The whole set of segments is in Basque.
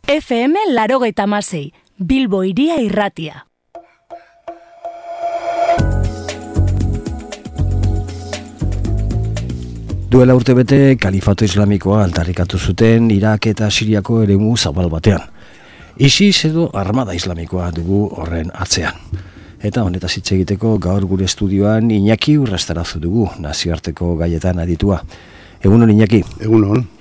FM 86, Bilbo Hiria Irratia. Duela urtebete kalifato islamikoa aldarrikatu zuten Irak eta Siriako eremu zabal batean. ISIS edo armada islamikoa dugu horren atzean. Eta honetaz hitz egiteko gaur gure estudioan Iñaki Urrestarazu dugu, nazioarteko gaietan aditua. Egunon Iñaki? Egunon.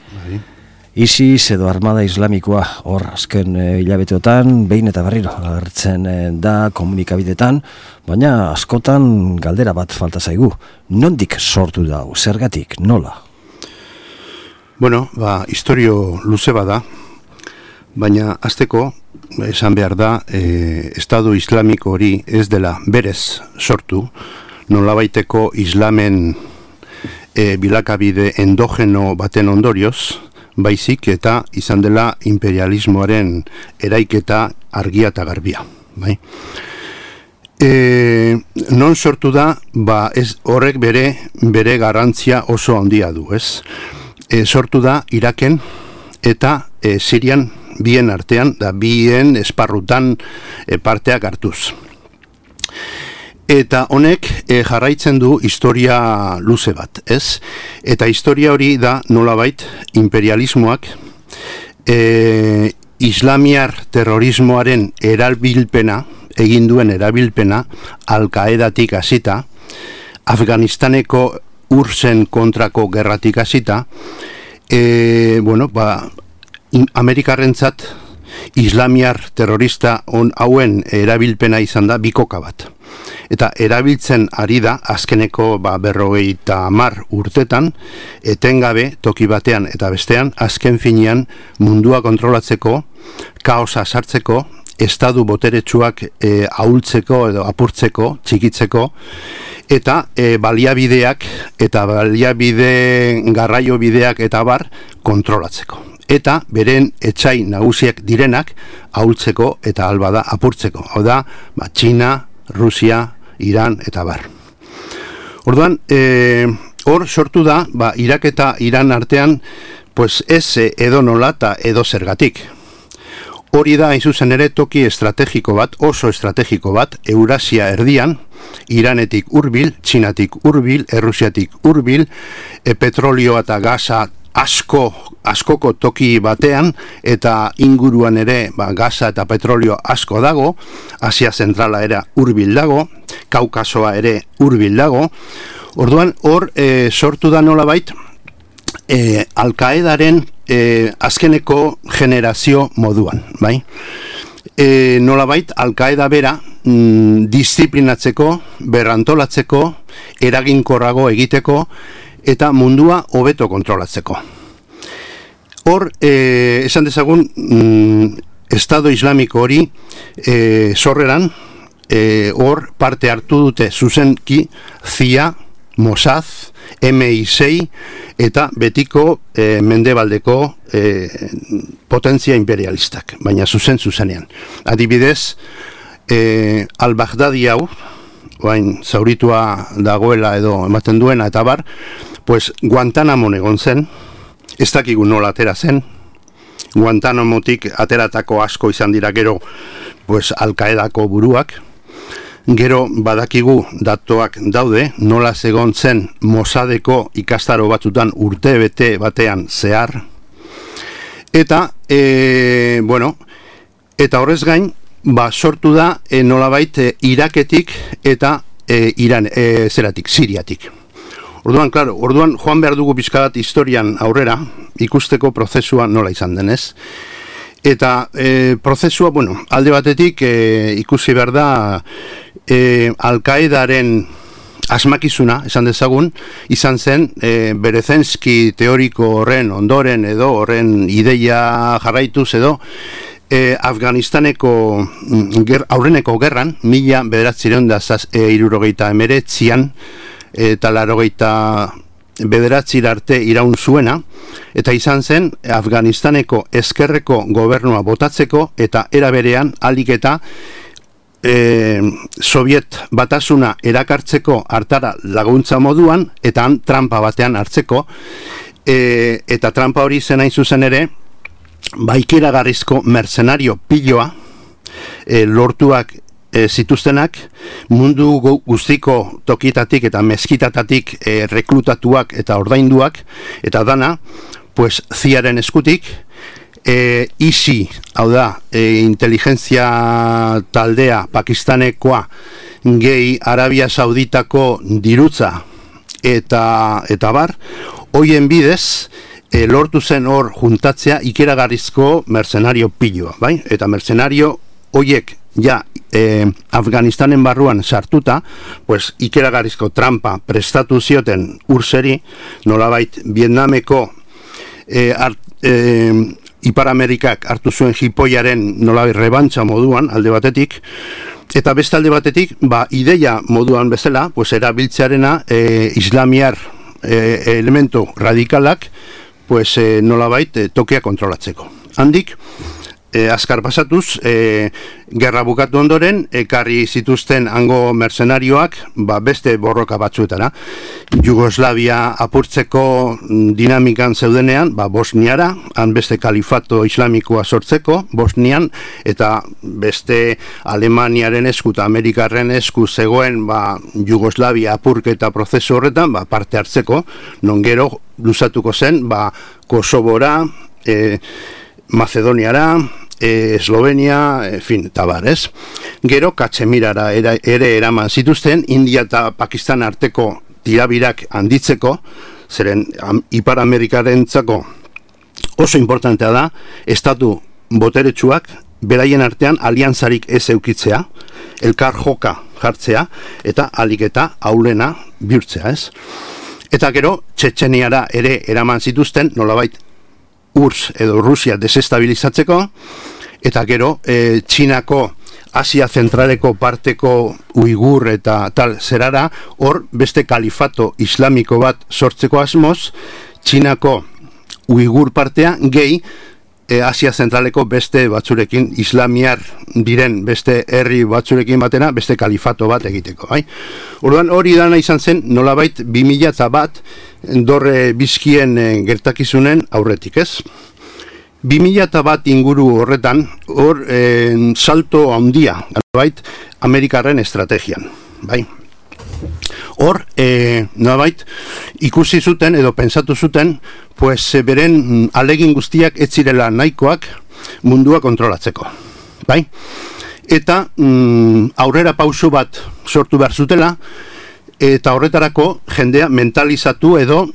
ISIS edo armada islamikoa hor azken hilabeteotan behin eta berriro agertzen da komunikabidetan, baina askotan galdera bat falta zaigu. Nondik sortu da, zergatik, nola? Bueno, historio luze bada, baina hasteko esan behar da, Estado Islamiko hori ez dela berez sortu, nolabaiteko islamen bilakabide endogeno baten ondorioz, baizik eta izan dela imperialismoaren eraiketa argia eta garbia. Bai? Non sortu da, ez horrek bere garrantzia oso handia du, ez? Sortu da Iraken eta Sirian bien artean, da bien esparrutan parteak hartuz. Eta honek jarraitzen du historia luze bat, ez? Eta historia hori da nolabait imperialismoak islamiar terrorismoaren egin duen erabilpena Al-Qaedatik hasita, Afganistaneko URSS-en kontrako gerratik hasita, Amerikarrentzat islamiar terrorista hauen erabilpena izan da bikoka bat. Eta erabiltzen ari da azkeneko 50 urtetan, etengabe toki batean eta bestean, azken finean mundua kontrolatzeko, kaosa sartzeko, estadu boteretsuak ahultzeko edo apurtzeko, txikitzeko, eta baliabideak eta garraio bideak eta bar kontrolatzeko. Eta beren etsai nagusiak direnak ahultzeko eta albada apurtzeko. Hau da, Txina, Rusia, Iran eta bar. Orduan, hor sortu da, Irak eta Iran artean, ez edo nola eta edo zergatik. Hori da, hain zuzen ere, toki estrategiko bat, oso estrategiko bat, Eurasia erdian, Iranetik hurbil, Txinatik hurbil, Errusiatik hurbil, petrolio eta gasa askoko toki batean, eta inguruan ere gasa eta petrolio asko dago, Asia Zentrala ere hurbil dago, Kaukasoa ere hurbil dago. Orduan, hor sortu da nolabait, Al-Qaedaren azkeneko generazio moduan, bai? Nolabait, Al-Qaeda bera disiplinatzeko, berrantolatzeko, eraginkorrago egiteko, eta mundua hobeto kontrolatzeko. Hor, esan dezagun, Estado Islamiko hori sorreran, hor parte hartu dute zuzenki CIA, Mossad, MI6 eta betiko mendebaldeko potentzia imperialistak, baina zuzenean. Adibidez, Al-Baghdadi hau, zauritua dagoela edo ematen duena eta bar, Guantanamon egon zen, ez dakigu nola atera zen, Guantanamotik ateratako asko izan dira gero Al-Qaedako buruak, gero badakigu datuak daude, nola egon zen Mossadeko ikastaro batzutan urtebete batean zehar, eta, eta horrez gain, sortu da nolabait Iraketik eta Siriatik. Orduan joan behar dugu pixka bat historian aurrera, ikusteko prozesua nola izan denez. Eta prozesua, alde batetik ikusi behar da Al-Qaedaren asmakizuna, esan dezagun, izan zen Berezenski teoriko horren ondoren edo horren ideia jarraituz edo, Afganistaneko aurreneko gerran, 1969an eta 1989 arte iraun zuena, eta izan zen Afganistaneko ezkerreko gobernua botatzeko eta era berean alik eta Soviet batasuna erakartzeko hartara laguntza moduan, eta trampa batean hartzeko, eta trampa hori zen hain zuzen ere, ikeragarrizko mercenario piloa lortuak zituztenak, mundu guztiko tokitatik eta meskitatatik reklutatuak eta ordainduak, eta dana, pues, ziaren eskutik, ISI, hau da, inteligentzia taldea pakistanekoa, gehi Arabia Sauditako dirutza, eta bar, hoien bidez, lortu zen hor juntatzea ikeragarrizko mercenario piloa, bai? Eta mercenario hoiek ja Afganistanen barruan sartuta, pues ikeragarrizko trampa prestatu zioten urseri, nolabait Vietnameko Ipar Amerikak hartu zuen jipoiaren nolabait rebantza moduan alde batetik, eta beste alde batetik, ideia moduan bezala, pues erabiltzearena islamiar elementu radikalak, pues nolabait tokia kontrolatzeko. Handik, azkar pasatuz, gerra bukatu ondoren, ekarri zituzten hango mercenarioak, beste borroka batzuetara. Jugoslavia apurtzeko dinamikan zeudenean, Bosniara, han beste kalifato islamikoa sortzeko, Bosnian, eta beste Alemaniaren esku eta Amerikarren esku zegoen Jugoslavia apurketa prozesu horretan, parte hartzeko, non gero luzatuko zen, Kosovora, Macedoniara, Eslovenia, tabar, ez? Gero, Katxemirara ere eraman zituzten, India eta Pakistan arteko tirabirak handitzeko, zeren Ipar Amerikarentzako oso importantea da, estatu boteretsuak, beraien artean aliantzarik ez eukitzea, elkar joka jartzea, eta alik eta aulena bihurtzea, ez? Eta gero, Txetxeniara ere eraman zituzten, nolabait, URSS edo Rusia desestabilizatzeko, eta gero Txinako Asia zentraleko parteko Uigur eta tal zerara, hor beste kalifato islamiko bat sortzeko asmoz, Txinako Uigur partea gehi Asia zentraleko beste batzurekin, islamiar diren beste herri batzurekin batera, beste kalifato bat egiteko. Orduan hori dana izan zen, nolabait 2001 dorre bizkien gertakizunen aurretik, ez? 2001 inguru horretan, hor salto handia, nolabait, Amerikarren estrategian, bai? Hor, nolabait, ikusi zuten edo pensatu zuten, pues beren alegin guztiak ez zirela nahikoak mundua kontrolatzeko, bai? Eta aurrera pauso bat sortu behar zutela, eta horretarako jendea mentalizatu edo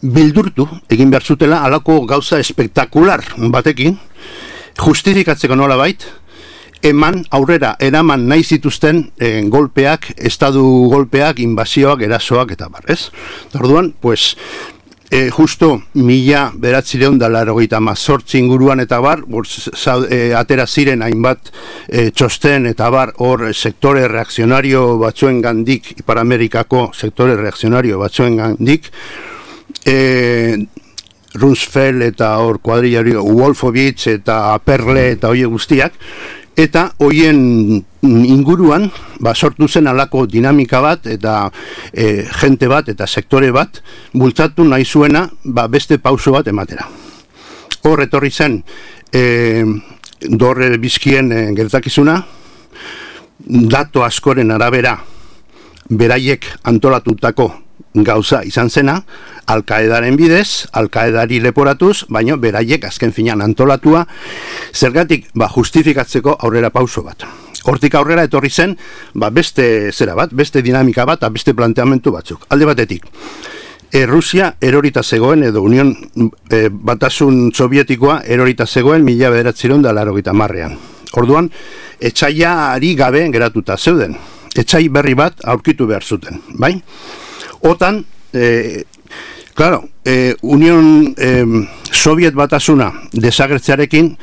bildurtu egin behar zutela halako gauza espektakular batekin, justifikatzeko nolabait, aurrera eraman nahi zituzten golpeak, estadu golpeak, invasioak, erasoak eta barrez. Orduan, pues, justo 1998 inguruan eta bar, atera ziren hainbat txosten eta bar, hor sektore reakzionario batzuen gandik, Ipar Amerikako sektore reakzionario batzuen gandik, Rumsfeld eta hor kuadrillario Wolfowitz eta Perle eta hoi guztiak, eta hoien inguruan sortu zen alako dinamika bat eta jente bat eta sektore bat bultzatu nahi zuena beste pauso bat ematera. Hor etorri zen dorre bizkien gertakizuna, dato askoren arabera beraiek antolatutako gauza izan zena, Al-Qaedaren bidez, Al-Qaedari leporatuz, baina beraiek azken finan antolatua, zergatik justifikatzeko aurrera pauso bat. Hortik aurrera etorri zen, beste zera bat, beste dinamika bat, beste planteamentu batzuk. Alde batetik, Rusia erorita zegoen, edo Union Batasun Sovietikoa erorita zegoen 1990ean. Orduan, etxaiari gabe geratuta zeuden. Etxai berri bat aurkitu behar zuten, bai? Otan, claro, Union Soviet Batasuna desagertzearekin,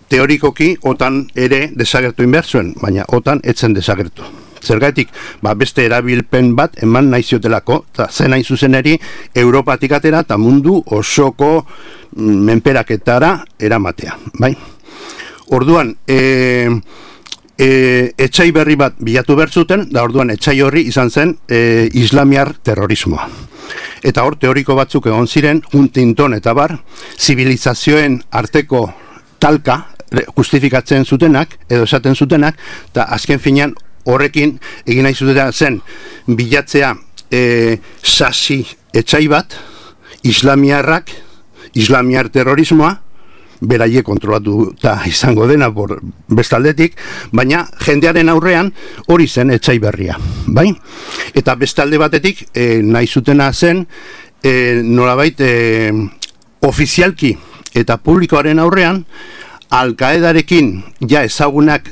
teorikoki otan ere desagertu inbehar zuen, baina otan etzen desagertu. Zergatik, beste erabilpen bat eman nahi ziotelako, eta zen hain zuzeneri Europatik atera eta mundu osoko menperaketara eramatea, bai? Orduan, etxai berri bat bilatu behar zuten, da orduan etxai horri izan zen islamiar terrorismoa. Eta hor teoriko batzuk egon ziren, Huntington eta bar, zibilizazioen arteko talka justifikatzen zutenak, edo esaten zutenak, eta azken finean horrekin egin nahi zutena zen bilatzea sasi etxai bat, islamiar terrorismoa, beraiek kontrolatuta izango dena bestaldetik, baina jendearen aurrean hori zen etxai berria, bai? Eta bestalde batetik nahi zutena zen nolabait ofizialki eta publikoaren aurrean Al-Qaedarekin ja ezagunak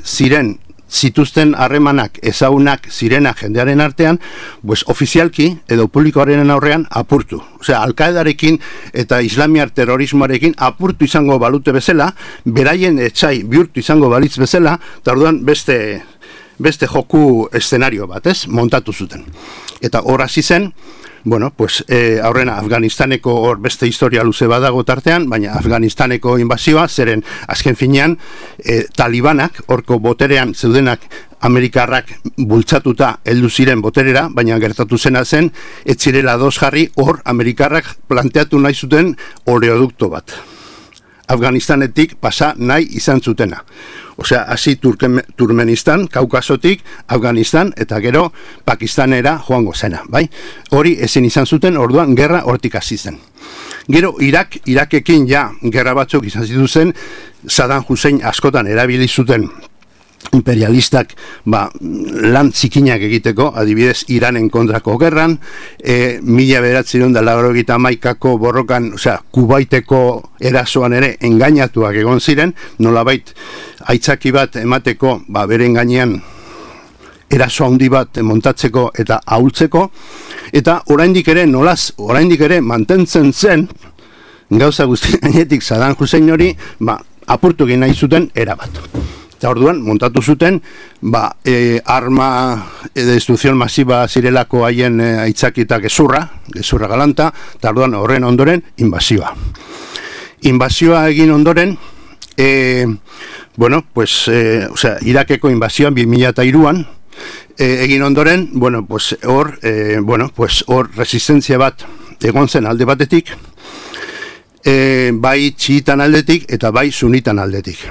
zituzten harremanak ezagunak zirenak jendearen artean, pues ofizialki edo publikoaren aurrean apurtu. Osea, Al-Qaedarekin eta islamiar terrorismoarekin apurtu izango balute bezala, beraien etxai bihurtu izango balitz bezala, eta orduan beste joku eszenario bat, ez? Montatu zuten. Eta hor hasi zen, bueno, pues aurrena Afganistaneko hor beste historia luze badago tartean, baina Afganistaneko inbasioa zeren azken finean talibanak horko boterean zeudenak Amerikarrak bultzatuta heldu ziren boterera, baina gertatu zena zen ez zirela ados jarri hor Amerikarrak planteatu nahi zuten oleodukto bat. Afganistanetik pasa nahi izan zutena. Osea, hasi Turkmenistan, Kaukasotik, Afganistan, eta gero Pakistanera joango zena, bai? Hori ezin izan zuten, orduan gerra hortik hasi zen. Gero Irakekin ja gerra batzuk izan zituzen, Saddam Hussein askotan erabili zuten imperialistak lan zikinak egiteko, adibidez Iranen kontrako gerran, 1991ko borrokan, osea, Kubaiteko erasoan ere engainatuak egon ziren, nolabait aitzaki bat emateko, beren gainean eraso handi bat montatzeko eta ahultzeko, eta oraindik ere mantentzen zen gauza guzti gainetik Saddam Hussein hori, apurtu egin nahi zuten erabat. Eta orduan, montatu zuten, arma destrucción masiva zirelako haien aitzakita gezurra galanta, eta orduan horren ondoren, inbasioa. Inbasioa egin ondoren, Irakeko inbasioan 2003an, egin ondoren, hor resistentzia bat egon zen alde batetik, bai txiitan aldetik eta bai sunitan aldetik.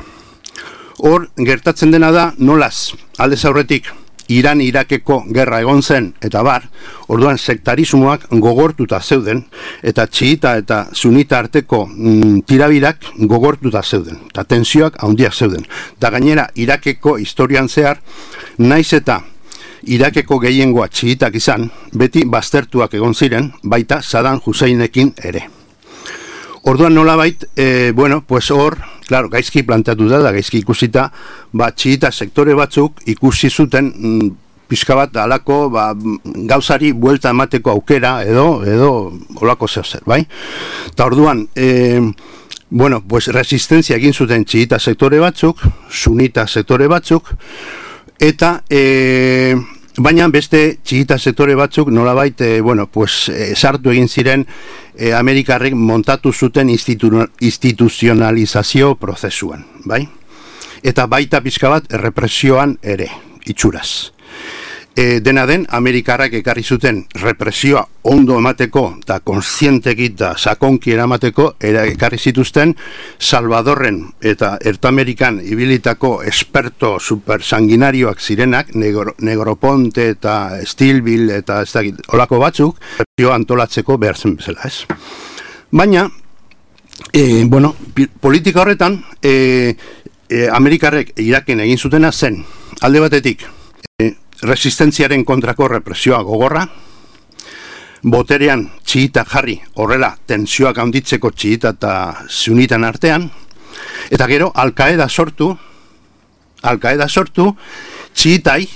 Hor, gertatzen dena da, nolaz, aldez aurretik, Iran-Irakeko gerra egon zen, eta bar, orduan sektarismoak gogortuta zeuden, eta txiita eta sunita arteko tirabirak gogortuta zeuden, eta tensioak handiak zeuden. Da gainera, Irakeko historian zehar, naiz eta Irakeko gehiengoa txiitak izan, beti baztertuak egon ziren, baita Saddam Husseinekin ere. Orduan nolabait, hor, claro, gaizki planteatu da, gaizki ikusita, txiita sektore batzuk ikusi zuten pixka bat alako gauzari buelta emateko aukera edo olako zer, bai? Eta orduan, resistentzia egin zuten txiita sektore batzuk, sunita sektore batzuk, eta baina beste txiita sektore batzuk nolabait, sartu egin ziren Amerikarrek montatu zuten instituzionalizazio prozesuan, bai? Eta baita pixka bat represioan ere, itxuraz. Dena den, Amerikarrak ekarri zuten represioa ondo emateko eta kontzienteki eta sakonki eramateko ekarri zituzten Salvadorren eta Ertamerikan ibilitako esperto supersanguinarioak zirenak, Negroponte eta Stilwell eta ez dakit, olako batzuk, represioa antolatzeko behar zen bezala, ez? Baina, politika horretan, Amerikarrek Iraken egin zutena zen, alde batetik, resistentziaren kontrako represioa gogorra, boterean txiita jarri horrela tensioak handitzeko txiita eta sunitan artean, eta gero Al-Qaeda sortu txiitai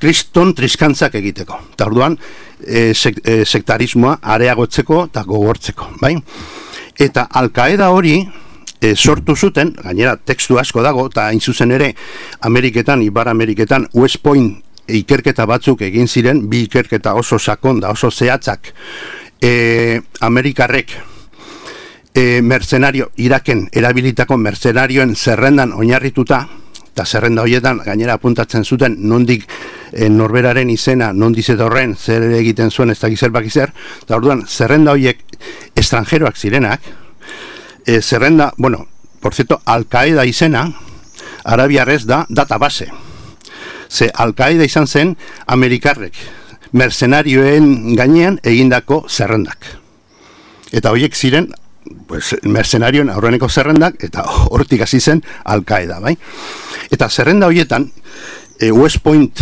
kriston triskantzak egiteko. Eta orduan sektarismoa areagotzeko eta gogortzeko, bai? Eta Al-Qaeda hori sortu zuten, gainera tekstu asko dago, eta hain zuzen ere Ipar Ameriketan West Point ikerketa batzuk egin ziren, bi ikerketa oso sakon da oso zehatzak, Amerikarrek mercenario, Iraken erabilitako mercenarioen zerrendan oinarrituta, eta zerrenda horietan gainera apuntatzen zuten nondik norberaren izena, nondik zetorren, zer egiten zuen ez dakiz zer bakizer, eta orduan zerrenda horiek estrangeroak zirenak, zerrenda, bueno, por cierto, Al-Qaeda izena, arabiarrez da database. Ze Al-Qaeda izan zen Amerikarrek mercenarioen gainean egindako zerrendak. Eta horiek ziren pues, mercenarioen aurreneko zerrendak, eta hortik hasi zen Al-Qaeda, bai? Eta zerrenda horietan, West Point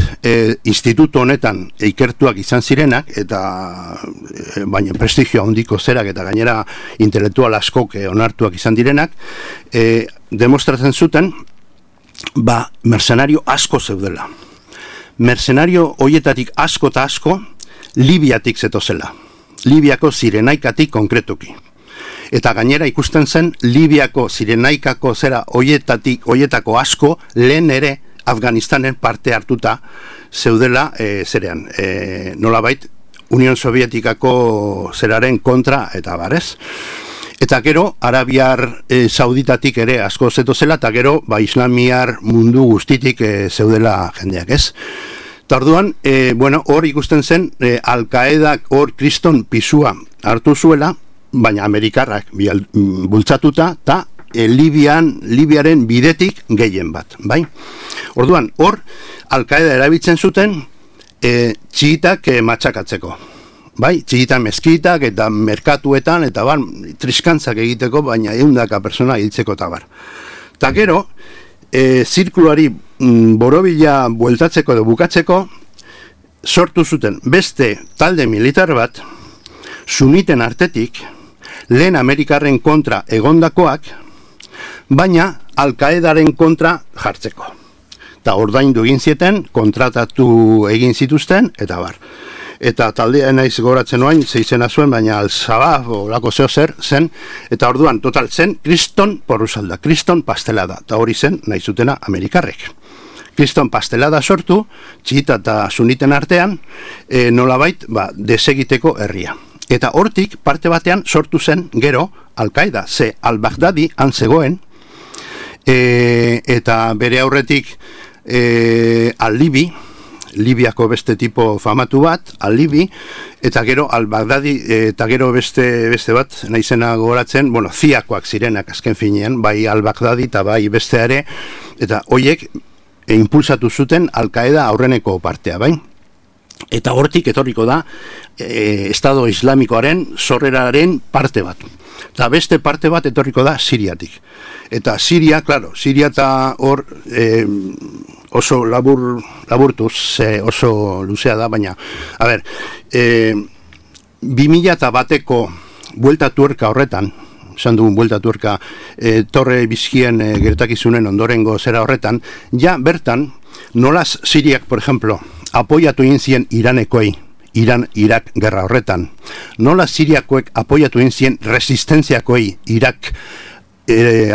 instituto honetan ikertuak izan zirenak, eta baina prestigio handiko zerak, eta gainera intelektual askok onartuak izan direnak, demostratzen zuten, mercenario asko zeudela. Mercenario hoietatik asko eta asko Libiatik zetozela. Libiako Zirenaikatik konkretuki. Eta gainera ikusten zen Libiako Zirenaikako zera hoietako asko lehen ere Afganistanen parte hartuta zeudela zerean. Nolabait Union Sovietikako zeraren kontra eta barez. Eta gero, Arabiar Sauditatik ere asko zetozela, eta gero, Islamiar mundu guztitik zeudela jendeak, ez? Eta orduan, hor ikusten zen, Al-Qaedak hor kriston pisua hartu zuela, baina Amerikarrak bultzatuta, eta Libiaren bidetik gehien bat, bai? Orduan, hor, Al-Qaeda erabiltzen zuten, txiitak matxakatzeko. Bai, txigitan mezkitak eta merkatuetan eta triskantzak egiteko, baina 100 persona hiltzeko eta bar. Ta gero, zirkuluari borobila bueltatzeko edo bukatzeko, sortu zuten beste talde militar bat, suniten artetik, lehen Amerikarren kontra egondakoak, baina Al-Qaedaren kontra jartzeko. Eta ordaindu egin zieten, kontratatu egin zituzten, eta bar. Eta taldea naiz goratzen oain, zeizena zuen, baina Al-Shabaab olako zeo zer zen, eta orduan total zen kriston porrusalda, kriston pastelada, eta hori zen nahi zutena Amerikarrek. Kriston pastelada sortu, txita eta suniten artean, nolabait desegiteko herria. Eta hortik parte batean sortu zen gero Al-Qaeda, ze Al-Baghdadi han zegoen, eta bere aurretik Al-Libi, Libiako beste tipo famatu bat, Al-Libi, eta gero Al-Baghdadi, eta gero beste bat, naizena gogoratzen, ziakoak zirenak azken finean, bai Al-Baghdadi eta bai beste ere, eta hoiek impulsatu zuten Al-Qaeda aurreneko partea, bai? Eta hortik etorriko da Estado Islamikoaren sorreraren parte bat. Eta beste parte bat etorriko da Siriatik. Eta Siria, claro, Siria eta hor oso laburtuz, oso luzea da, baina, a ber, 2001ko buelta tuerka horretan, esan dugun buelta tuerka Torre Bizkien gertakizunen ondorengo zera horretan, ja bertan, nolaz Siriak, por ejemplo, apoiatu egin zien Iranekoei, Iran-Irak gerra horretan, nola Siriakoek apoiatu egin zien resistentziakoei Irak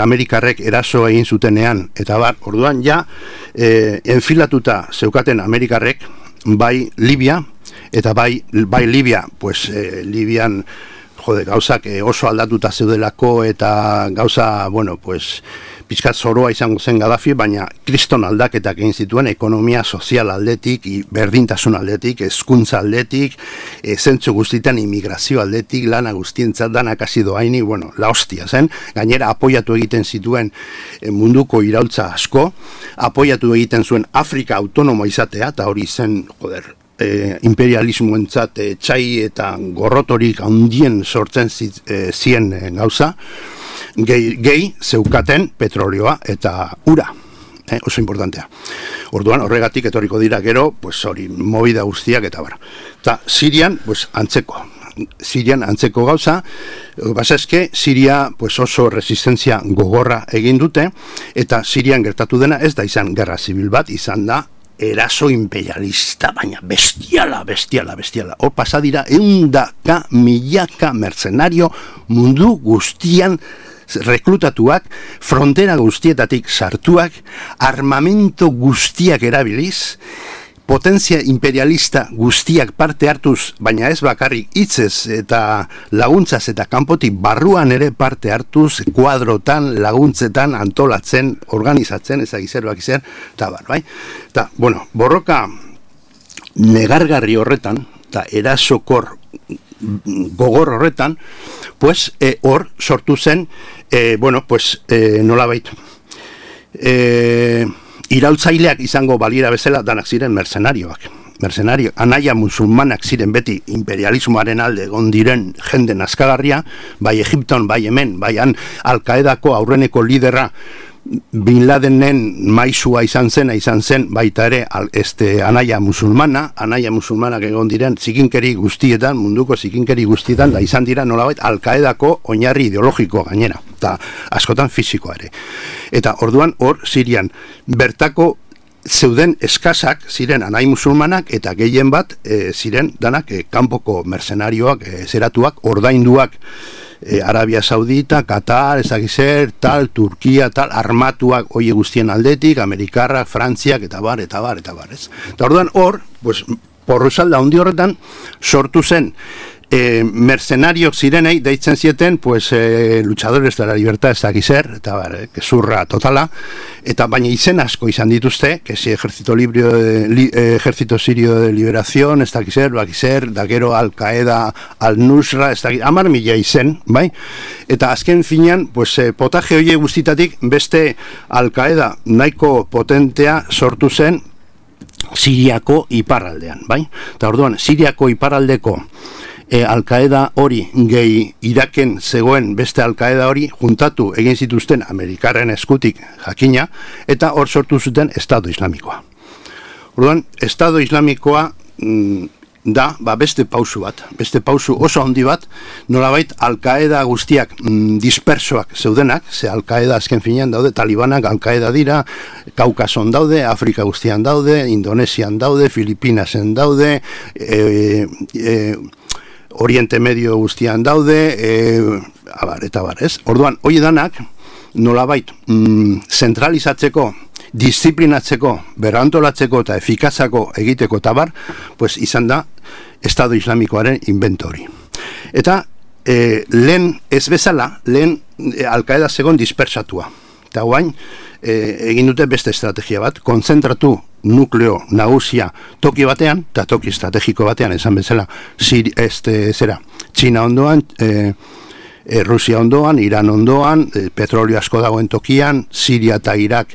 Amerikarrek eraso egin zutenean, eta orduan ja enfilatuta zeukaten Amerikarrek bai Libia, eta bai Libia, pues Libian gauzak oso aldatuta zeudelako, eta gauza, pues pizkat zoroa izango zen Gaddafi, baina kriston aldaketak egin zituen ekonomia sozial aldetik, berdintasun aldetik, hezkuntza aldetik, zentzu guztietan immigrazio aldetik, lana guztientzat danak hasi doaini, la hostia zen, gainera apoiatu egiten zituen munduko iraultza asko, apoiatu egiten zuen Afrika autonomo izatea, eta hori zen, imperialismoentzat txai eta gorrotorik handien sortzen zien gauza, gehi zeukaten petrolioa eta ura, oso importantea. Orduan horregatik etorriko dira gero, pues hori movida guztiak eta bara. Eta Sirian, pues antzeko gauza, basa eske Siria pues oso resistentzia gogorra egin dute, eta Sirian gertatu dena ez da izan gerra zibil bat, izan da eraso imperialista, baina bestiala. Hor pasadira 100.000 mercenario mundu guztian reklutatuak, frontera guztietatik sartuak, armamento guztiak erabiliz, potentzia imperialista guztiak parte hartuz, baina ez bakarrik hitzez eta laguntzaz eta kanpotik barruan ere parte hartuz, kuadrotan, laguntzetan, antolatzen, organizatzen, ezagizer, eta bai. Eta, bueno, borroka negargarri horretan, eta erasokor gogor horretan, pues, hor sortu zen, nolabait, iraultzaileak izango balira bezala danak ziren mercenarioak, anaia musulmanak ziren beti imperialismoaren alde egon diren jende nazkagarria, bai Egipton, bai Hemen, bai Al-Qaedako aurreneko lidera Bin Ladenen maisua izan zen baita ere anaia musulmanak egon diren zikinkeri guztietan, munduko zikinkeri guztietan, da izan dira nolabait Al-Qaedako oinarri ideologiko gainera, eta askotan fisikoa ere. Eta orduan hor Sirian bertako zeuden eskasak ziren anai musulmanak eta gehien bat ziren danak kanpoko mercenarioak, zeratuak, ordainduak, Arabia Saudita, Qatar, ezagizer, tal, Turkia, tal, armatuak oie guztien aldetik, Amerikarrak, Frantziak, eta bar, ez? Eta orduan hor, pues, porruzalda handi horretan, sortu zen mercenariok zirenei, deitzen zieten, pues, luchadores de la libertad, ezagizer, eta bar, zurra totala, eta baina izen asko izan dituzte, que si ejército sirio de liberación, ezagizer, bakizer, da gero Al-Qaeda, Al-Nusra, ezagizer, 10.000 izen, bai? Eta azken finean, pues, potaje hoie guztitatik, beste Al-Qaeda nahiko potentea sortu zen Siriako iparraldean, bai? Eta orduan, Siriako iparraldeko Al-Qaeda hori gehi Iraken zegoen beste Al-Qaeda hori juntatu egin zituzten Amerikarren eskutik jakina, eta hor sortu zuten Estado Islamikoa. Orduan, Estado Islamikoa da beste pausu oso handi bat, nolabait Al-Qaeda guztiak dispersoak zeudenak, ze Al-Qaeda azken finean daude, talibanak Al-Qaeda dira, Kaukason daude, Afrika guztian daude, Indonesian daude, Filipinasen daude, Oriente Medio guztian daude, eta bar, ez? Orduan, hoi danak, nolabait, zentralizatzeko, disiplinatzeko, berrantolatzeko eta efikazako egiteko eta bar, pues izan da Estado Islamikoaren inventori. Eta lehen ez bezala, lehen Al-Qaeda zegoen dispersatua. Eta guain, egin dute beste estrategia bat, konzentratu nukleo nagusia toki batean, eta toki estrategiko batean, esan bezala, Txina ondoan, Rusia ondoan, Iran ondoan, petrolio asko dagoen tokian, Siria eta Irak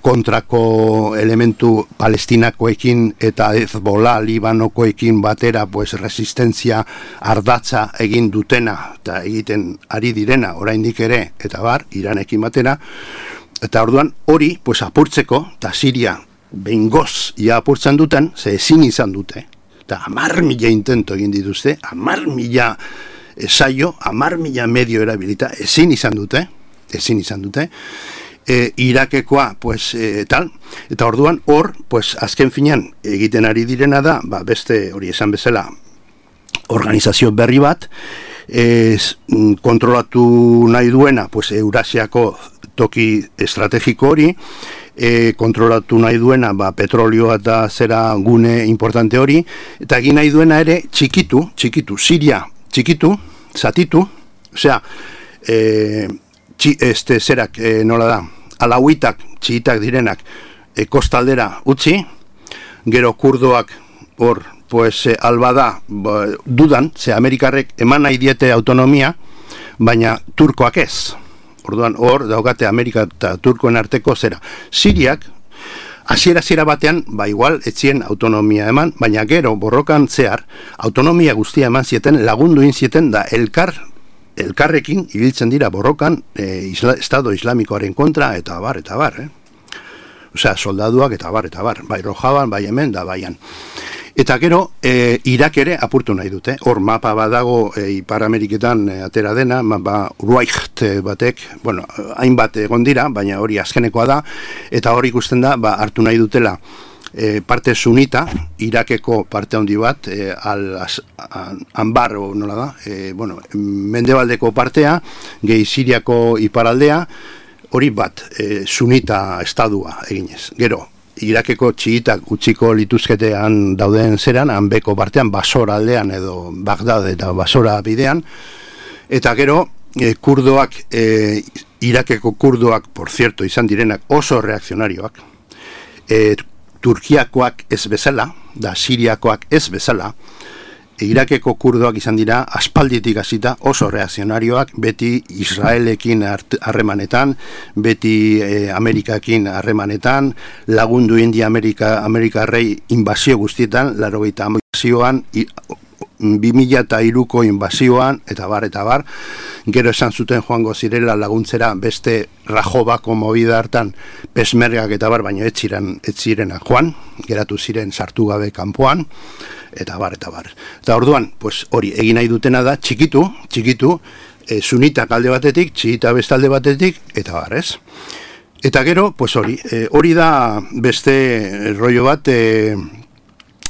kontrako elementu palestinakoekin eta Hezbollah Libanokoekin batera, pues, resistentzia ardatza egin dutena, eta egiten ari direna, oraindik ere, eta bar, Iranekin batera, eta orduan hori, pues, apurtzeko, eta Siria behingoz ia apurtzen duten, ze ezin izan dute, eta 10.000 intento egin dituzte, 10.000 saio, 10.000 medio erabilita, ezin izan dute, Irakekoa, pues, tal, eta orduan hor, pues, azken finean egiten ari direna da, beste hori esan bezala, organizazio berri bat, kontrolatu nahi duena, pues, Eurasiako toki estrategiko hori, kontrolatu nahi duena petrolioa eta zera gune importante hori, eta egin nahi duena ere txikitu, Siria txikitu, zatitu, osea, zerak, nola da, alauitak, txiitak direnak, kostaldera utzi, gero kurdoak hor, pues, albada, dudan, ze Amerikarrek eman nahi diete autonomia, baina turkoak ez. Orduan hor daukate Amerika eta Turkoen arteko zera. Siriak, hasiera batean, igual etzien autonomia eman, baina gero borrokan zehar, autonomia guztia eman zieten, lagundu inzieten da elkarrekin ibiltzen dira borrokan Estado Islamikoaren kontra, eta bar. Osea, soldaduak eta bar. Bai Rojaban, bai hemen, da baian. Eta gero, Irak ere apurtu nahi dute. Hor mapa badago Ipar Ameriketan atera dena, Ruaicht batek, bueno, hainbat egon dira, baina hori azkenekoa da, eta hori ikusten da, hartu nahi dutela parte sunita, Irakeko parte handi bat, Anbar, nola da, mendebaldeko partea, gehi Siriako iparaldea, hori bat, sunita estadua eginez. Gero, Irakeko txiitak utziko lituzketean dauden zeran, hanbeko partean, Basora aldean edo Bagdad eta Basora bidean, eta gero, kurdoak, Irakeko kurdoak, por cierto, izan direnak oso reakzionarioak, Turkiakoak ez bezala, da Siriakoak ez bezala, Irakeko kurdoak izan dira aspalditik hasita oso reakzionarioak, beti Israelekin harremanetan, beti Amerikakin harremanetan, lagundu India Amerikarrei inbazio guztietan, 80 inbazioan, 2003ko inbazioan, eta bar, gero esan zuten joango zirela laguntzera beste Rajobako movida hartan pesmergak eta bar, baina ez zirena joan, geratu ziren sartu gabe kanpoan, eta bar. Eta orduan, pues hori egin nahi dutena da, txikitu, sunitak alde batetik, txiita bestalde batetik, eta bar, ez? Eta gero, pues hori da beste rollo bat,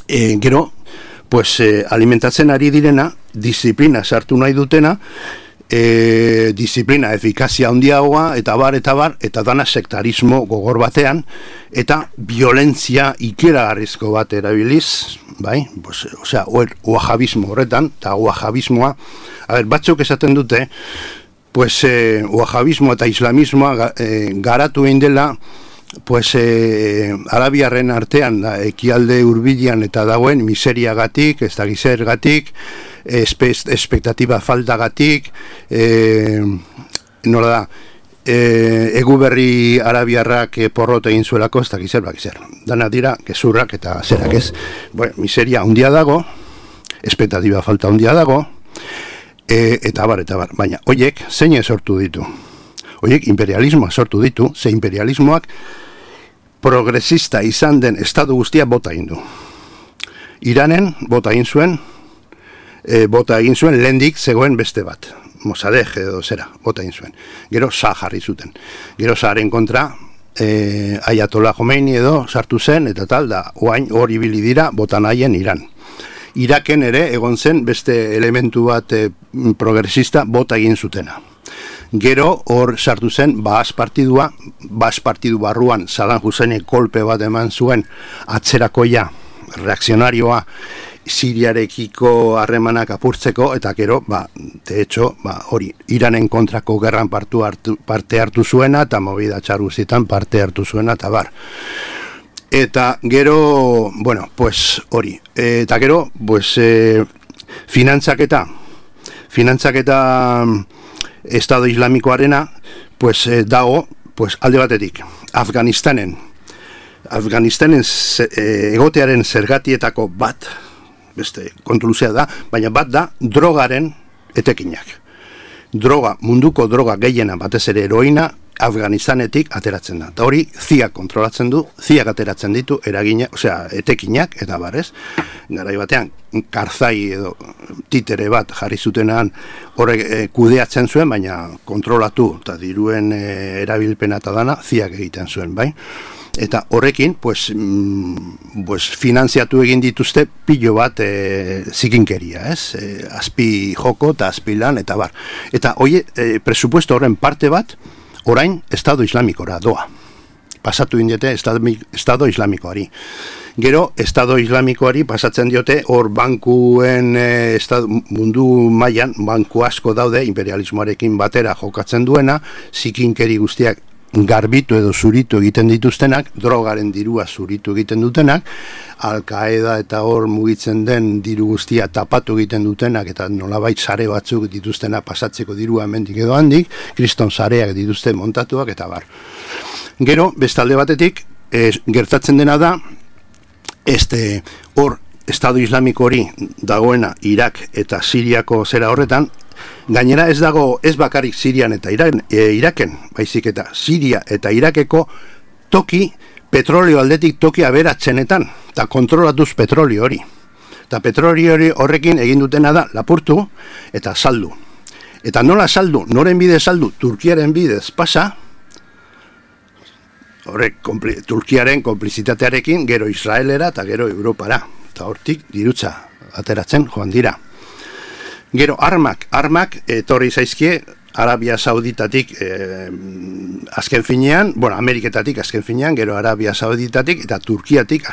gero, pues alimentatzen ari direna, disiplina sartu nahi dutena, disiplina, efikazia handiagoa, eta bar, eta dana sektarismo gogor batean, eta violentzia ikeragarrizko bat erabiliz, bai, pues, osea, wahabismo horretan, eta wahabismoa, batzuk esaten dute, pues wahabismoa eta islamismoa garatu egin dela, pues arabiarren artean ekialde hurbilean eta dagoen miseriagatik, ez da gizergatik, espektatiba faltagatik, nola da, eguberri arabiarrak porrot egin zuelako, ez da gizer. Dana dira, gezurrak eta zerak ez. Bueno, miseria handia dago, espektatiba falta handia dago, eta bar. Baina, hoiek, zein sortu ditu? Hoiek imperialismoa sortu ditu, ze imperialismoak progresista izan den estatu guztia bota egin du. Iranen bota egin zuen, lehendik zegoen beste bat, Mossadegh edo zera, bota egin zuen. Gero Shah jarri zuten. Gero Shaharen kontra Ayatollah Khomeini edo sartu zen, eta tal, da oain hori ibili dira bota nahien Iran. Iraken ere egon zen beste elementu bat progresista bota egin zutena. Gero hor sartu zen Baas partidu barruan Saddam Husseinek kolpe bat eman zuen atzerakoia, reakzionarioa Siriarekiko harremanak apurtzeko, eta gero, de hecho, hori, Iranen kontrako gerran parte hartu zuena, eta movida txarguzitan parte hartu zuena, eta bar. Eta gero, bueno, pues hori, eta gero, pues finantzaketa Estado Islamikoarena, pues dago, pues alde batetik, Afganistanen egotearen zergatietako bat, beste kontruluzea da, baina bat da drogaren etekinak. Munduko droga gehiena batez ere heroina, Afganistanetik ateratzen da. Eta hori, CIA kontrolatzen du, CIA ateratzen ditu, etekinak, eta barrez, garai batean, Karzai edo titere bat jarri zutenan horrek kudeatzen zuen, baina kontrolatu, eta diruen erabilpena eta dana, CIA egiten zuen, bai? Eta horrekin, pues finanziatu egin dituzte pilo bat zikinkeria, ez? Azpi joko eta azpi lan, eta bar. Eta presupuesto horren parte bat, orain, Estado Islamikora doa. Pasatu indiote Estado Islamikoari. Gero, Estado Islamikoari pasatzen diote, hor bankuen mundu mailan banku asko daude, imperialismoarekin batera jokatzen duena, zikinkeri guztiak garbitu edo zuritu egiten dituztenak, drogaren dirua zuritu egiten dutenak, Al-Qaeda eta hor mugitzen den diru guztia tapatu egiten dutenak, eta nolabait sare batzuk dituztenak pasatzeko dirua hemendik edo handik, kriston sareak dituzte montatuak, eta bar. Gero, bestalde batetik, gertatzen dena da, hor, Estado Islamiko hori dagoena Irak eta Siriako zera horretan, gainera ez dago ez bakarrik Sirian eta Iraken, baizik eta Siria eta Irakeko toki, petrolio aldetik toki aberatzenetan, eta kontrolatuz petrolio hori. Eta petrolio hori horrekin egin dutena da lapurtu eta saldu. Eta nola saldu, noren bidez saldu, Turkiaren bidez pasa, horrek Turkiaren konplizitatearekin gero Israelera eta gero Europara. Eta hortik dirutza ateratzen joan dira. Gero armak etorri zaizkie Arabia Sauditatik azken finean, Ameriketatik azken finean, gero Arabia Sauditatik eta Turkiatik,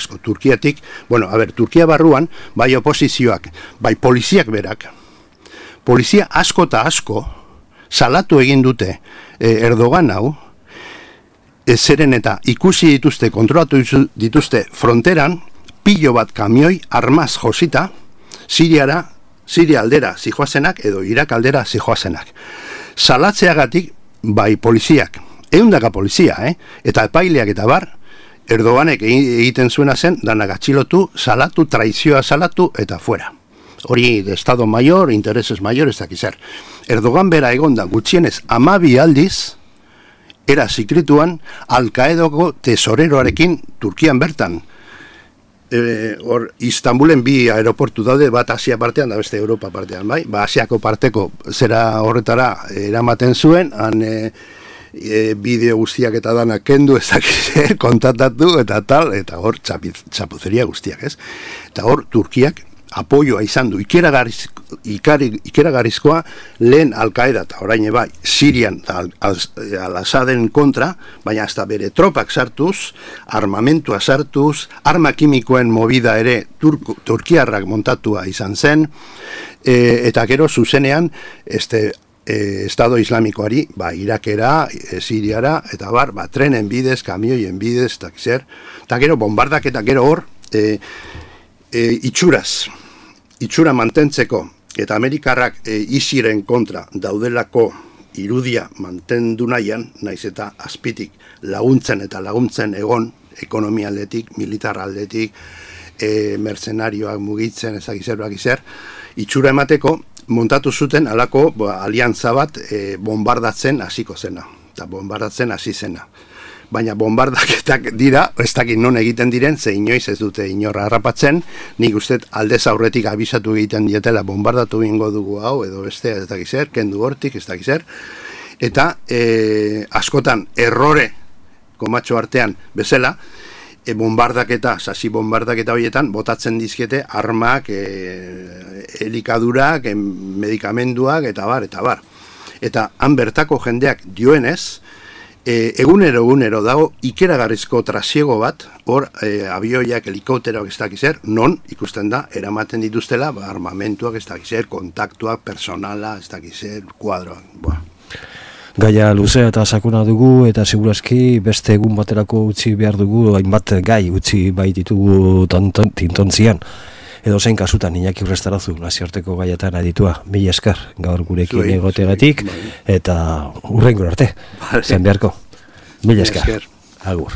Turkia barruan, bai oposizioak, bai poliziak berak, polizia asko eta asko salatu egin dute Erdogan hau, zeren eta ikusi dituzte, kontrolatu dituzte fronteran, pilo bat kamioi armaz josita, Siria aldera zijoazenak edo Irak aldera zijoazenak. Salatzeagatik, bai poliziak, 100 polizia, eta epaileak eta bar, Erdoganek egiten zuena zen, danak atxilotu, salatu, traizioa salatu, eta fuera. Hori de Estado Mayor, intereses mayor, ez dakizer. Erdogan bera egonda gutxienez 12 aldiz, era zikrituan, Al-Qaedako tesoreroarekin Turkian bertan. Istanbulen 2 aeroportu daude, bat Asia partean da beste Europa partean, bai? Asiako parteko zera horretara eramaten zuen, han bideo guztiak eta danak kendu ezak kontatatu eta tal, eta hor txapuzeria guztiak, ez? Eta hor Turkiak apoioa izan du, ikeragarrizkoa lehen Al-Qaeda eta orain bai Sirian Al-Assaden kontra, baina hasta bere tropak sartuz, armamentua sartuz, arma kimikoen movida ere turkiarrak montatua izan zen, eta gero zuzenean Estado Islamikoari, Irakera, Siriara, eta trenen bidez, kamioien bidez, eta gero bombardak eta gero hor, itxura mantentzeko eta Amerikarrak isiren kontra daudelako irudia mantendu nahian, naiz eta azpitik laguntzen egon, ekonomia aldetik, militar aldetik, mercenarioak mugitzen, ezakizer, itxura emateko, montatu zuten alako aliantza bat bombardatzen hasiko zena, eta bombardatzen hasi zena. Baina bombardaketak dira, ez dakit non egiten diren, ze inoiz ez dute inorra harrapatzen, nik uste aldez aurretik abisatu egiten dietela bombardatu ingo dugu hau, edo beste ez dakizer, kendu hortik, ez dakizer, eta askotan errore komatxo artean bezala, sasi bombardaketa horietan, botatzen dizkiete armak, elikadurak, medikamenduak, eta bar. Eta han bertako jendeak dioenez, egunero dago ikeragarrizko trasiego bat, hor abioiak, helikopteroak ez dakizer, non ikusten da, eramaten dituztela, armamentuak ez dakizer, kontaktuak, personala, ez dakizer, kuadroak. Gaia luzea eta sakuna dugu, eta segurazki beste egun baterako utzi behar dugu, hainbat gai utzi baititugu tintontzian. Edo zein kasutan, Iñaki Urrestarazu, nazioarteko gaietan aditua, mila esker, gaur gurekin egotegatik, eta hurrengo arte, zen beharko. Mila esker, agur.